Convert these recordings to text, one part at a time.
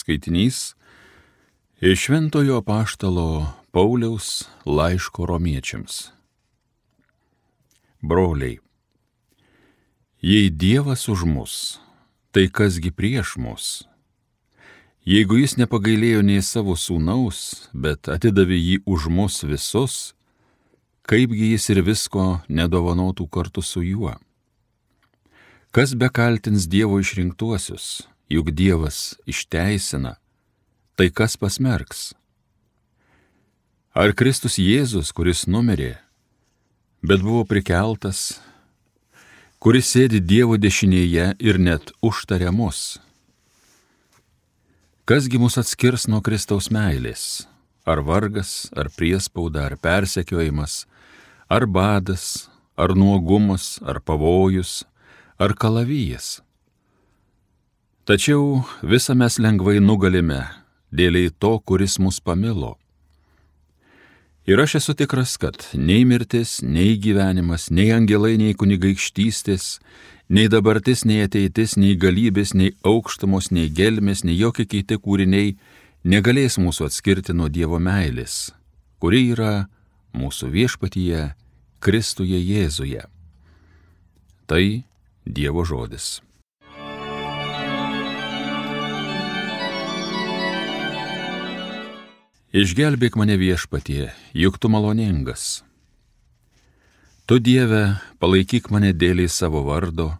Skaitinys iš Šventojo Apaštalo Pauliaus laiško romiečiams. Broliai, jei Dievas už mus, tai kasgi prieš mus? Jeigu jis nepagailėjo nei savo sūnaus, bet atidavė jį už mus visus, kaipgi jis ir visko nedovanotų kartu su juo? Kas bekaltins Dievo išrinktuosius, juk Dievas išteisina, tai kas pasmerks? Ar Kristus Jėzus, kuris numirė, bet buvo prikeltas, kuris sėdi Dievo dešinėje ir net užtaria mus? Kasgi mus atskirs nuo Kristaus meilės? Ar vargas, ar priespauda, ar persekiojimas, ar badas, ar nuogumas, ar pavojus, ar kalavijas? Tačiau visą mes lengvai nugalime dėliai to, kuris mus pamilo. Ir aš esu tikras, kad nei mirtis, nei gyvenimas, nei angelai, nei kunigaikštystės, nei dabartis, nei ateitis, nei galybės, nei aukštumos, nei gelmės, nei jokie kiti kūriniai negalės mūsų atskirti nuo Dievo meilės, kuri yra mūsų viešpatyje Kristuje Jėzuje. Tai Dievo žodis. Išgelbėk mane viešpatie, juk tu maloningas. Tu, Dieve, palaikyk mane dėliai savo vardo,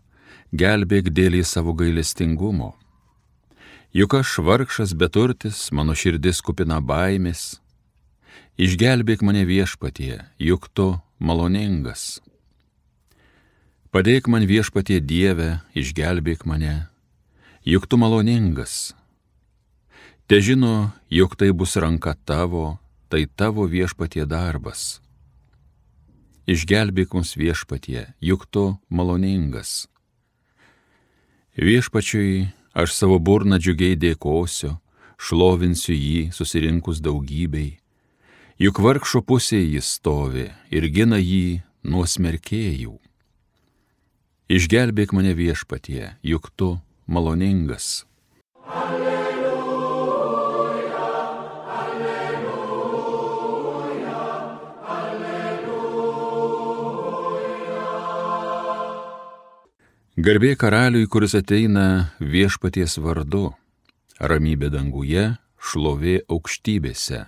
gelbėk dėliai savo gailestingumo. Juk aš vargšas beturtis, mano širdis kupina baimės. Išgelbėk mane viešpatie, juk tu maloningas. Padėk man viešpatie Dieve, išgelbėk mane, juk tu maloningas. Te žino, jog tai bus ranka tavo, tai tavo viešpatie darbas. Išgelbėk mus viešpatie, juk tu maloningas. Viešpačiui aš savo burną džiugiai dėkosiu, šlovinsiu jį susirinkus daugybei. Juk vargšo pusėje jis stovi ir gina jį nuo smerkėjų. Išgelbėk mane viešpatie, juk tu maloningas. Garbė karaliui, kuris ateina viešpaties vardu, ramybė danguje, šlovė aukštybėse.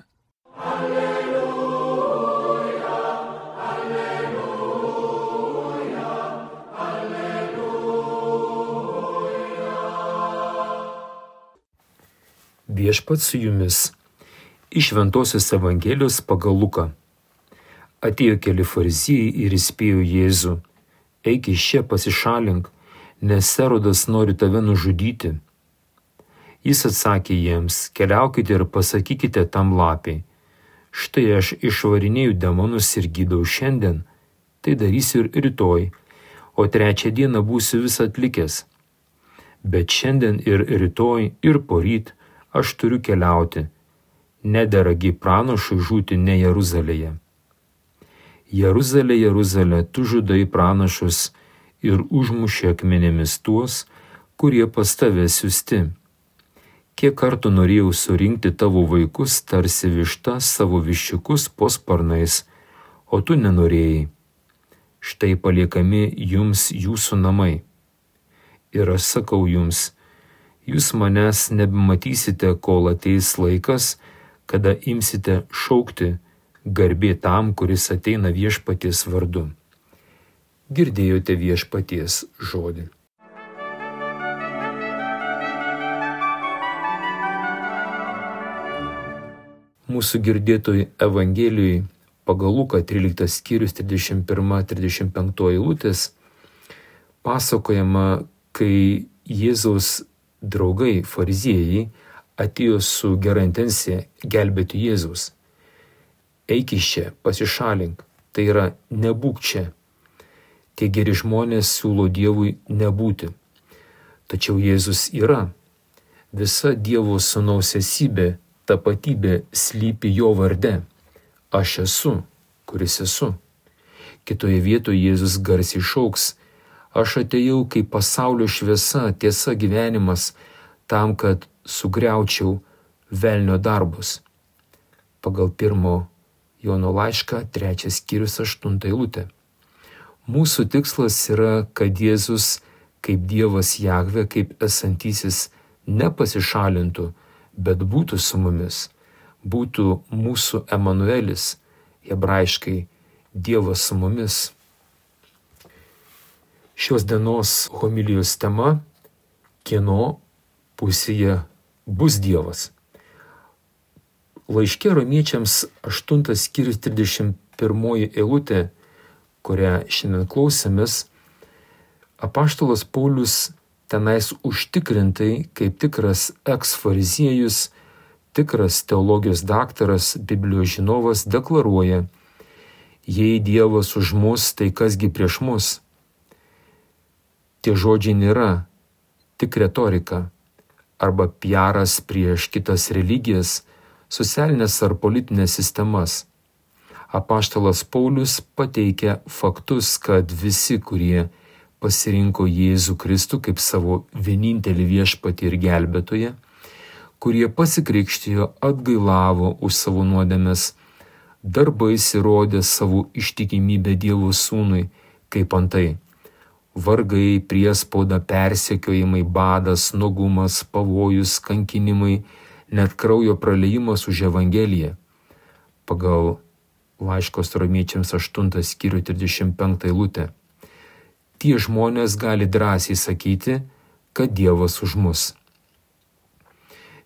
Alleluja, alleluja, alleluja. Viešpats su jumis. Iš Šventosios Evangelijos pagal Luką. Atėjo keli fariziejai ir įspėjo Jėzų: eik iš čia, pasišalink, nes Erodas nori tave nužudyti. Jis atsakė jiems: keliaukite ir pasakykite tam lapei: štai aš išvarinėju demonus ir gydau šiandien, tai darysiu ir rytoj, o trečią dieną būsiu vis atlikęs. Bet šiandien ir rytoj ir poryt aš turiu keliauti, nederagi pranašui žūti ne Jeruzalėje. Jeruzalė, Jeruzalė, tu žudai pranašus ir užmušė akmenėmis tuos, kurie pas tave siųsti. Kiek kartų norėjau surinkti tavo vaikus tarsi višta savo viščiukus po sparnais, o tu nenorėjai. Štai paliekami jums jūsų namai. Ir aš sakau jums, jūs manęs nebematysite, kol ateis laikas, kada imsite šaukti: garbė tam, kuris ateina viešpaties vardu. Girdėjote viešpaties žodį. Mūsų girdėtoj Evangelijai pagal Luką 13 skyrius 31-35 eilutės pasakojama, kai Jėzaus draugai fariziejai atėjo su gera intencija gelbėti Jėzaus. Eik iš čia, pasišalink, tai yra nebūk čia. Tie geri žmonės siūlo Dievui nebūti. Tačiau Jėzus yra. Visa Dievo sūnaus esybė, tapatybė slypi jo varde. Aš esu, kuris esu. Kitoje vietoje Jėzus garsiai šauks: aš atėjau kaip pasaulio šviesa, tiesa, gyvenimas, tam, kad sugriaučiau velnio darbus. Pagal 1 Jono laišką 3 skyrius 8 eilutė. Mūsų tikslas yra, kad Jėzus kaip Dievas Jahvė, kaip esantysis nepasišalintų, bet būtų su mumis, būtų mūsų Emanuelis, hebrajiškai Dievas su mumis. Šios dienos homilijos tema – kieno pusėje bus Dievas. Laiške Romiečiams 8 skyrius 31 eilutė, kurią šiandien klausėmės, apaštalas Paulius tenais užtikrintai, kaip tikras eks-fariziejus, tikras teologijos daktaras, Biblijos žinovas, deklaruoja: jei Dievas už mus, tai kasgi prieš mus? Tie žodžiai nėra tik retorika arba piaras prieš kitas religijas, socialinės ar politinės sistemas. Apaštalas Paulius pateikia faktus, kad visi, kurie pasirinko Jėzų Kristų kaip savo vienintelį viešpatį ir gelbėtoją, kurie pasikrikštijo, atgailavo už savo nuodėmes, darbais įrodė savo ištikimybę Dievo Sūnui, kaip antai vargai, priespauda, persekiojimai, badas, nuogumas, pavojus, kankinimai, net kraujo praleimas už Evangeliją. Pagal laiškos Romiečiams 8 skyrių 35 eilutė. Tie žmonės gali drąsiai sakyti, kad Dievas už mus.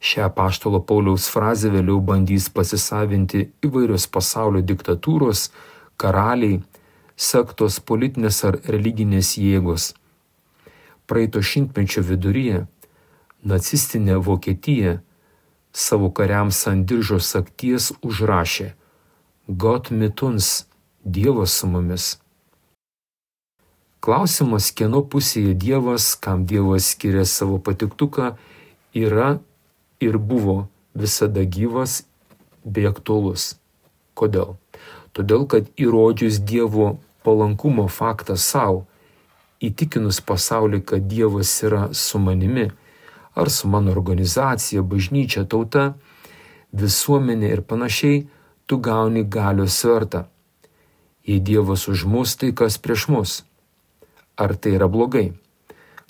Šią apaštalo Pauliaus frazę vėliau bandys pasisavinti įvairios pasaulio diktatūros, karaliai, sektos, politinės ar religinės jėgos. Praeito šimtmečio viduryje nacistinė Vokietija savo kariams ant diržo sagties užrašė: Gott mit uns, Dievas su mumis. Klausimas, kieno pusėje Dievas, kam Dievas skiria savo patiktuką, yra ir buvo visada gyvas bei aktualus. Kodėl? Todėl, kad įrodžius Dievo palankumo faktą savo, įtikinus pasaulį, kad Dievas yra su manimi, ar su mano organizacija, bažnyčia, tauta, visuomenė ir panašiai, tu gauni galios svertą. Jei Dievas už mus, tai kas prieš mus? Ar tai yra blogai?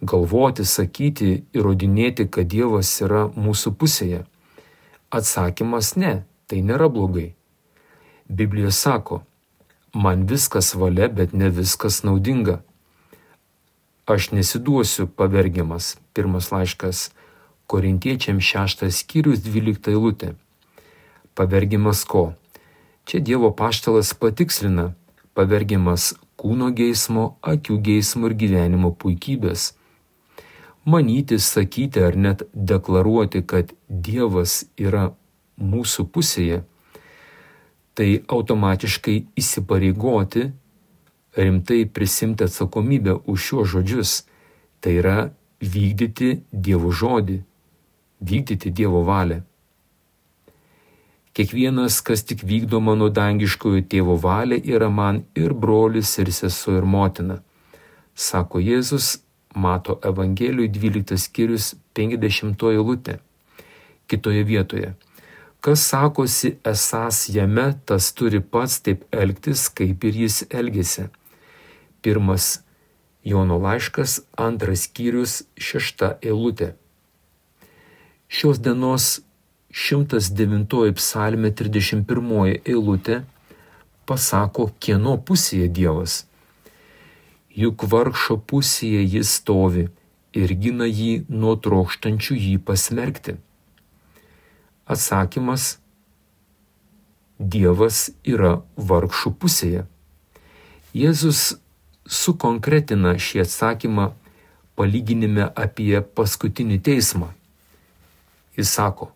Galvoti, sakyti, įrodinėti, kad Dievas yra mūsų pusėje? Atsakymas ne, tai nėra blogai. Biblija sako: man viskas valia, bet ne viskas naudinga. Aš nesiduosiu pavergiamas. 1 laiškas Korintiečiams 6 skyrius 12 eilutė. Pavergiamas ko? Čia Dievo apaštalas patikslina: pavergiamas kūno geismo, akių geismo ir gyvenimo puikybės. Manyti, sakyti ar net deklaruoti, kad Dievas yra mūsų pusėje, tai automatiškai įsipareigoti, rimtai prisimti atsakomybę už šiuos žodžius, tai yra vykdyti Dievo žodį, vykdyti Dievo valią. Kiekvienas, kas tik vykdo mano dangiškojo tėvo valią, yra man ir brolis, ir sesuo, ir motina, sako Jėzus Mato Evangelijoj 12 skyrius 50 eilutė. Kitoje vietoje: kas sakosi esąs jame, tas turi pats taip elgtis, kaip ir jis elgėsi. 1 Jono laiškas 2 skyrius 6 eilutė. Šios dienos 109 psalmė 31 eilutė pasako, kieno pusėje Dievas. Juk vargšo pusėje jis stovi ir gina jį nuo trokštančių jį pasmerkti. Atsakymas: Dievas yra vargšų pusėje. Jėzus sukonkretina šį atsakymą palyginime apie paskutinį teismą. Jis sako: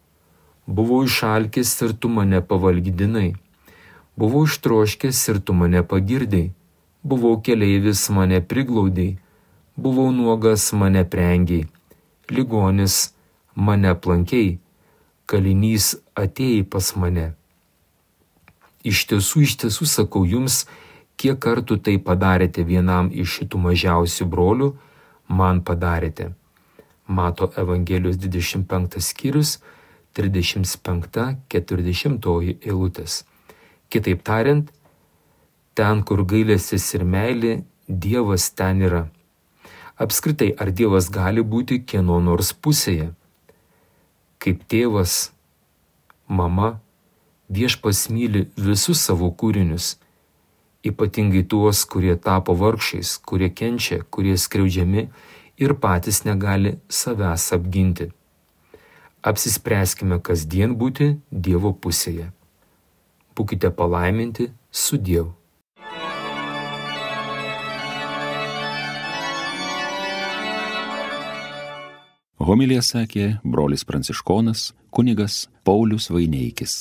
buvau išalkęs ir tu mane pavalgydinai, buvau ištroškęs ir tu mane pagirdai, buvau keleivis, mane priglaudei, buvau nuogas, mane prengiai, ligonis, mane aplankei, kalinys, atėjai pas mane. Iš tiesų sakau jums, kiek kartų tai padarėte vienam iš šitų mažiausių brolių, man padarėte. Mato Evangelijos 25 skyrius, 35-40 eilutės. Kitaip tariant, ten, kur gailestis ir meilė, Dievas ten yra. Apskritai, ar Dievas gali būti kieno nors pusėje? Kaip tėvas, mama, Viešpats myli visus savo kūrinius, ypatingai tuos, kurie tapo vargšais, kurie kenčia, kurie skriaudžiami ir patys negali savęs apginti. Apsispręskime kasdien būti Dievo pusėje. Būkite palaiminti su Dievu. Homiliją sakė brolis pranciškonas kunigas Paulius Vaineikis.